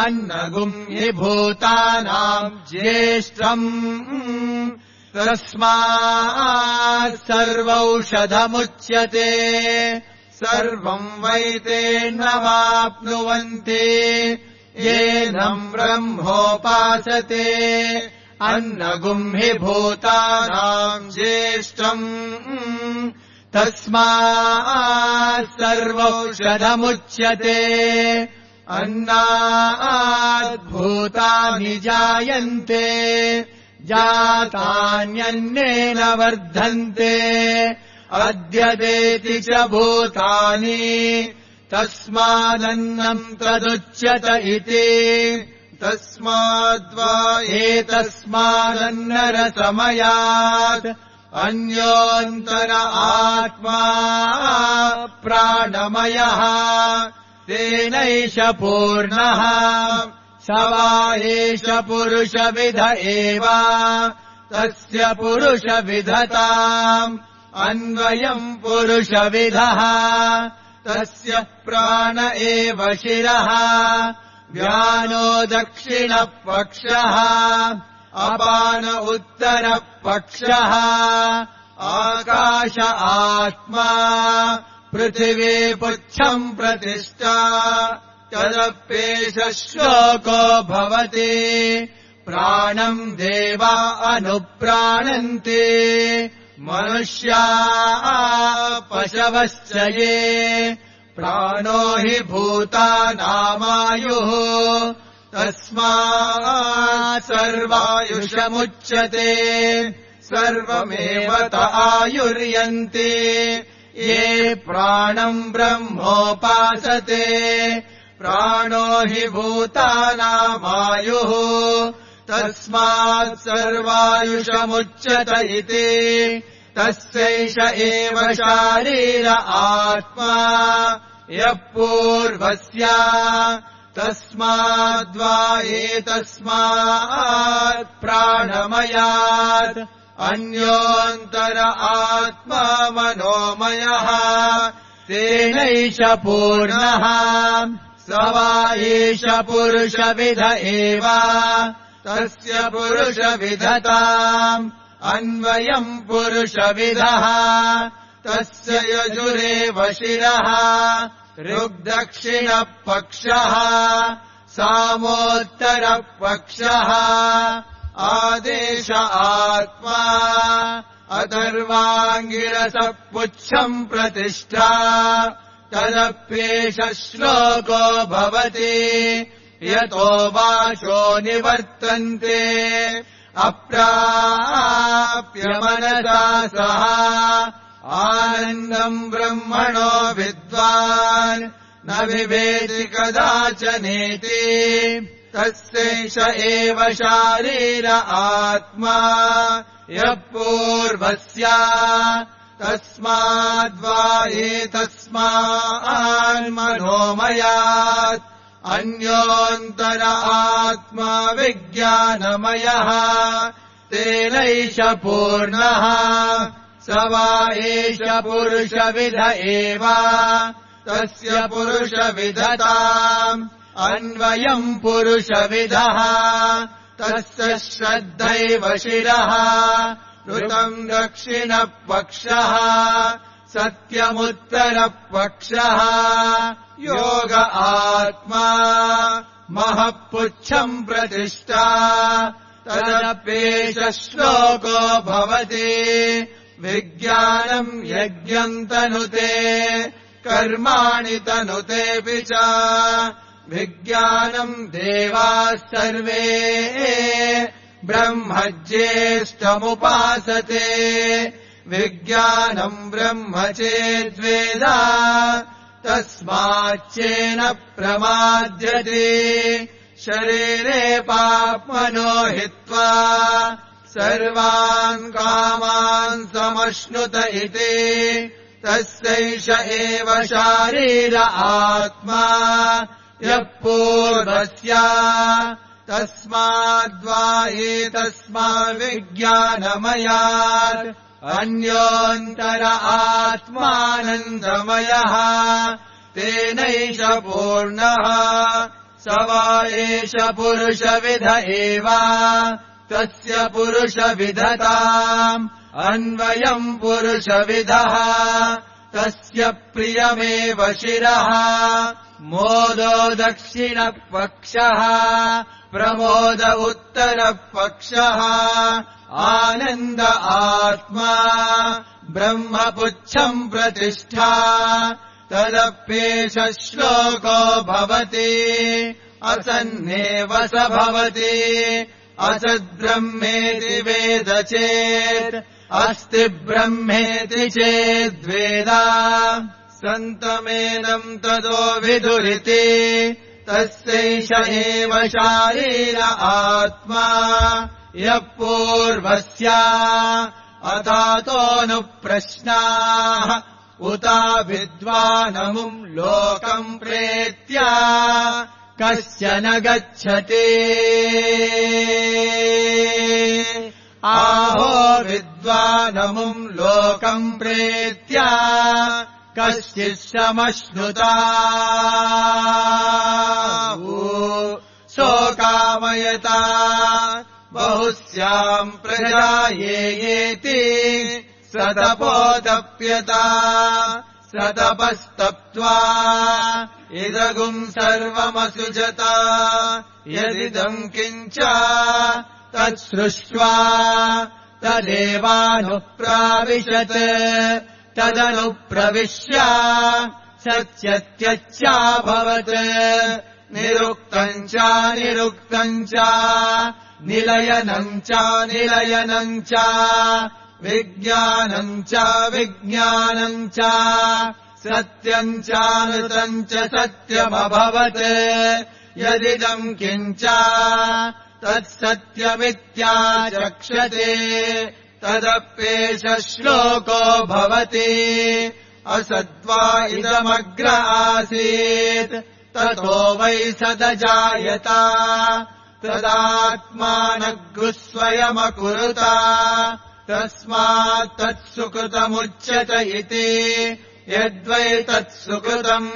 अन्नगुम् हि भूतानाम् ज्येष्ठम् तस्मात् सर्वौषधमुच्यते सर्वम् वैतेन्नवाप्नुवन्ति येनम् ब्रह्मोपासते अन्नगुम् हि भूतानाम् ज्येष्ठम् तस्मात् सर्वौषधमुच्यते अन्नाद्भूतानि जायन्ते जातान्यन्नेन वर्धन्ते अद्यतेति च भूतानि तस्मादन्नम् तदुच्यत इति तस्माद्वा एतस्मादन्नरसमयात् अन्योऽन्तर आत्मा प्राणमयः तेनैष पूर्णः स वा एष पुरुषविध एव तस्य पुरुषविधताम् अन्वयम् पुरुषविधः तस्य प्राण एव शिरः व्यानो दक्षिणपक्षः अपान उत्तरपक्षः आकाश आत्मा पृथिवी पुच्छम् प्रतिष्ठा तदप्येष श्लोको भवति प्राणम् देवा अनुप्राणन्ति मनुष्या पशवश्च ये प्राणो हि भूतानामायुः तस्मात् सर्वायुषमुच्यते सर्वमेव त आयुर्यन्ति ये प्राणम् ब्रह्मोपासते प्राणो हि भूतानामायुः तस्मात् सर्वायुषमुच्यत इति तस्यैष एव शारीर आत्मा यः पूर्वस्य तस्माद्वा एतस्मात् प्राणमयात् अन्योऽन्तर आत्मा मनोमयः तेनैष पूर्णः स वा एष पुरुषविध एव तस्य पुरुषविधताम् अन्वयम् पुरुषविधः तस्य यजुरेव शिरः ऋग्दक्षिणपक्षः सामोत्तरपक्षः आदेश आत्मा अथर्वाङ्गिरसः पुच्छम् प्रतिष्ठा तदप्येष श्लोको भवति यतो वाचो निवर्तन्ते अप्राप्य मनसा सह आनन्दम् ब्रह्मणो विद्वान् न विवेदि कदाचनेति तस्यैष एव शारीर आत्मा यः पूर्वस्य तस्माद्वा एतस्मान्मनोमयात् अन्योऽन्तर आत्मा विज्ञानमयः तेनैष पूर्णः स वा एष पुरुषविद एव तस्य पुरुषविदताम् अन्वयम् पुरुषविदः तस्य श्रद्धैव शिरः ऋतम् दक्षिणपक्षः सत्यमुत्तरपक्षः योग आत्मा महःपुच्छम् प्रतिष्ठा तदप्येष श्लोको भवति विज्ञानम् यज्ञम् तनुते कर्माणि तनुतेऽपि च विज्ञानम् देवाः सर्वे ब्रह्म ज्येष्ठमुपासते विज्ञानम् ब्रह्म चेद्वेद तस्माच्चेन प्रमाद्यते शरीरे पाप्मनो हित्वा सर्वान् कामान् समश्नुत इति तस्यैष एव शारीर आत्मा यः पूर्वस्य तस्माद्वा एतस्माद्विज्ञानमयात् अन्योऽन्तर आत्मानन्दमयः तेनैष पूर्णः स वा एष पुरुषविद एव तस्य पुरुषविदताम् अन्वयम् पुरुषविदः तस्य प्रियमेव शिरः मोदो दक्षिणपक्षः प्रमोद उत्तरपक्षः आनन्द आत्मा ब्रह्मपुच्छम् प्रतिष्ठा तदप्येष श्लोको भवति असन्नेव स भवति असद्ब्रह्मेति वेद चेत् अस्ति ब्रह्मेति चेद्वेद सन्तमेनम् ततो विदुरिति तस्यैष एव शारीर आत्मा यः पूर्वस्य अथातोऽनुप्रश्नाः उता विद्वानमुम् लोकम् प्रेत्य कस्य न गच्छति आहो विद्वानमुम् लोकम् प्रेत्य कश्चित् समश्नुता शोकामयता बहुस्याम् प्रजायेति सतपोदप्यता सतपस्तप्त्वा इदगुम् सर्वमसुजता यदिदम् किञ्च तत्सृष्ट्वा तदेवानुप्राविशत् तदनुप्रविश्य सत्यत्यच्याभवत् निरुक्तम् च निरुक्तम् च निलयनम् च निलयनम् च विज्ञानम् च विज्ञानम् च सत्यम् चानृतम् च सत्यमभवत् यदिदम् किञ्च तत्सत्यमित्याचक्षते तदप्येष श्लोको भवति असद्वा इदमग्र आसीत् ततो वै सदजायत तदात्मानग्रुस्वयमकुरुत तस्मात् तत्सुकृतमुच्यत इति यद्वै तत्सुकृतम्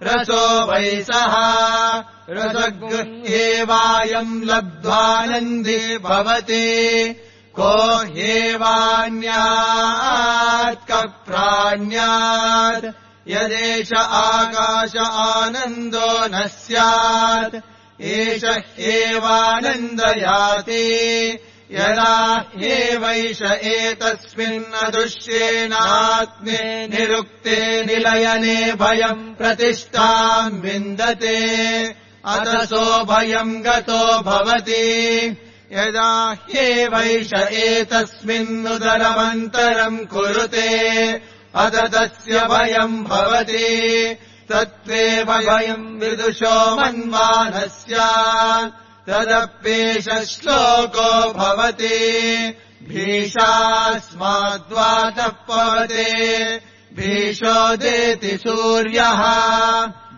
रसो वै सः रसगृह्येवायम् लब्ध्वानन्दी भवति को ह्येवान्यात् कप्राण्यात् यदेष आकाश आनन्दो न स्यात् एष ह्येवानन्दयाति यदा ह्येवैष एतस्मिन्नदृश्येनात्मे निरुक्ते निलयने भयम् प्रतिष्ठाम् विन्दते अतसो भयम् गतो भवति यदा ह्येवैष एतस्मिन्नुदरमन्तरम् कुरुते अत तस्य भयम् भवति तत्त्वेव भयम् विदुषो मन्वानस्य तदप्येष श्लोको भवति भीषास्माद्वातः पवते भीषोदेति सूर्यः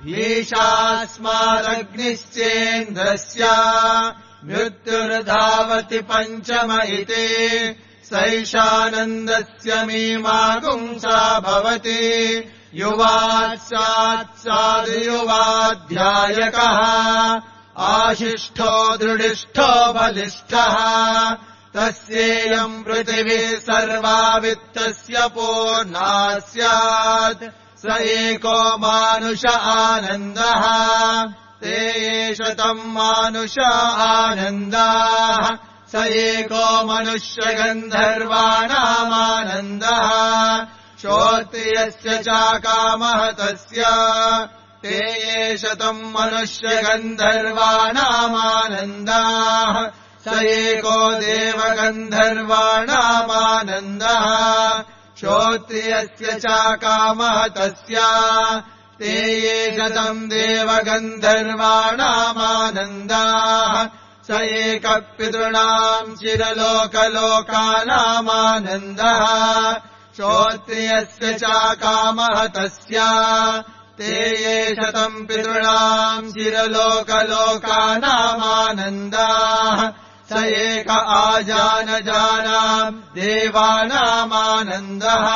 भीषास्मादग्निश्चेन्द्रस्य मृत्युर्धावति पञ्चम इति सैषानन्दस्य मीमागुंसा भवति युवात्सात्सादयुवाध्यायकः आशिष्ठो दृढिष्ठो बलिष्ठः तस्येयम् पृथिवी सर्वा वित्तस्य पूर्णा स्यात् स एको मानुष आनन्दः ते एष तम् मानुष आनन्दाः स एको मनुष्यगन्धर्वाणामानन्दः श्रोत्रियस्य चाकामः तस्य ते एष तम् मनुष्यगन्धर्वाणामानन्दाः स एको देवगन्धर्वाणामानन्दः श्रोत्रियस्य चाकामः तस्य ते एष तम् देवगन्धर्वाणामानन्दाः स एकः पितॄणाम् चिरलोकलोकानामानन्दः श्रोत्रियस्य चाकामः तस्य ते एष तम् पितॄणाम् चिरलोकलोकानामानन्दाः स एक आजानजानाम् देवानामानन्दः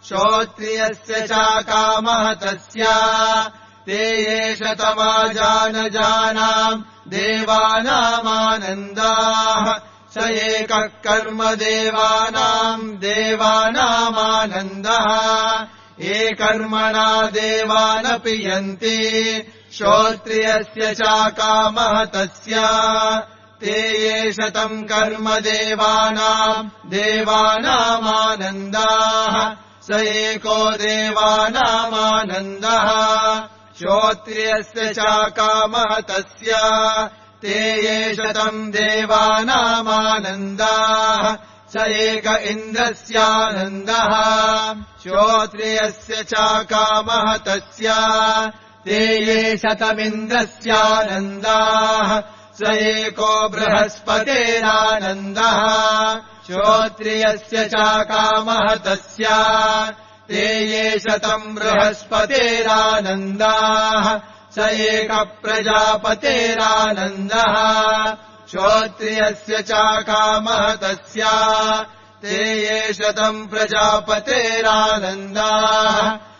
श्रोत्रियस्य चाकामः तस्य ते एष तमाजानजानाम् देवानामानन्दाः स एकः कर्मदेवानाम् देवानामानन्दः ये कर्मणा देवानपि यन्ति श्रोत्रियस्य चाकामः तस्य ते एष तम् कर्मदेवानाम् देवानामानन्दाः स एको देवानामानन्दः श्रोत्रियस्य चाकामः तस्य ते एष तम् देवानामानन्दाः स एक इन्द्रस्यानन्दः श्रोत्रियस्य चाकामः तस्य ते एष तमिन्द्रस्यानन्दाः स एको बृहस्पतेरानन्दः श्रोत्रियस्य चाकामः तस्य ते एष तम् बृहस्पतेरानन्दाः स एकः प्रजापतेरानन्दः श्रोत्रियस्य चाकामः तस्य ते एष तम् प्रजापतेरानन्दाः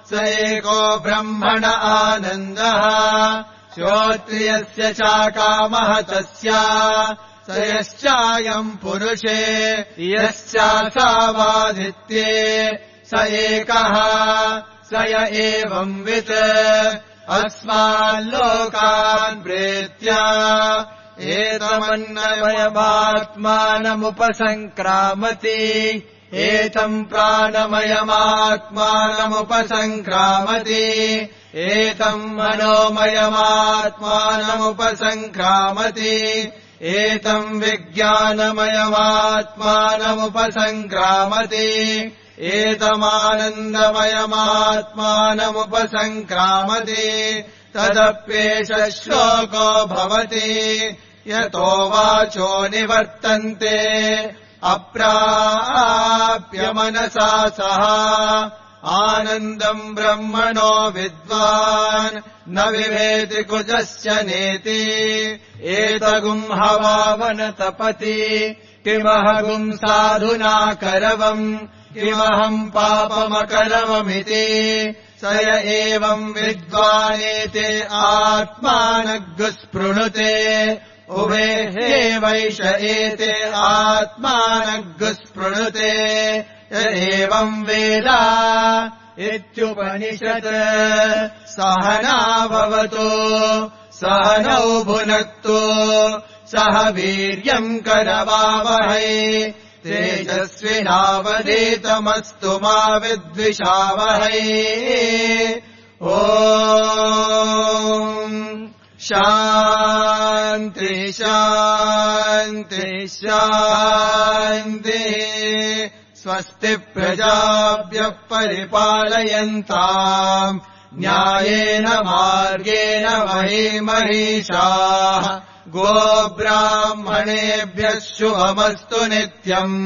स एको ब्रह्मण आनन्दः श्रोत्रियस्य चाकामः तस्य स यश्चायम् पुरुषे यश्चासावादित्ये स एकः स य एवंवित् अस्माल्लोकान् प्रेत्य एतमन्नमयमात्मानमुपसङ्क्रामति एतम् प्राणमयमात्मानमुपसङ्क्रामति एतम् मनोमयमात्मानमुपसङ्क्रामति एतम् विज्ञानमयमात्मानमुपसङ्क्रामति एतमानन्दमयमात्मानमुपसङ्क्रामति तदप्येष श्लोको भवति यतो वाचो निवर्तन्ते अप्राप्य मनसा सह आनन्दम् ब्रह्मणो विद्वान् न विभेति कुजस्य नेति एतगुम् हवावनतपति किमहगुम् साधुना करवम् किमहम् पापमकरवमिति स य एवम् विद्वानेते आत्मानग्गुस्पृणुते उभे हेवैष एते आत्मानग्गुस्पृणुते एवम् वेद इत्युपनिषत् सहना भवतु सहनौ भुनक्तु सह वीर्यम् करवावहै तेजस्विनावधीतमस्तु मा विद्विषावहै ॐ शान्ति शान्ति शान्ति स्वस्ति प्रजाभ्यः परिपालयन्ताम् न्यायेन मार्गेण महिषाः गोब्राह्मणेभ्यः शुभमस्तु नित्यम्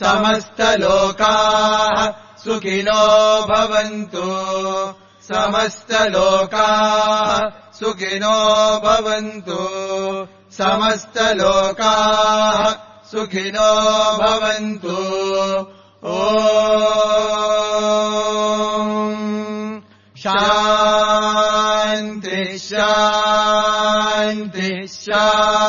समस्तलोकाः सुखिनो भवन्तु समस्तलोकाः सुखिनो भवन्तु समस्तलोकाः सुखिनो भवन्तु ॐ शान्ति शान्ति शान्तिः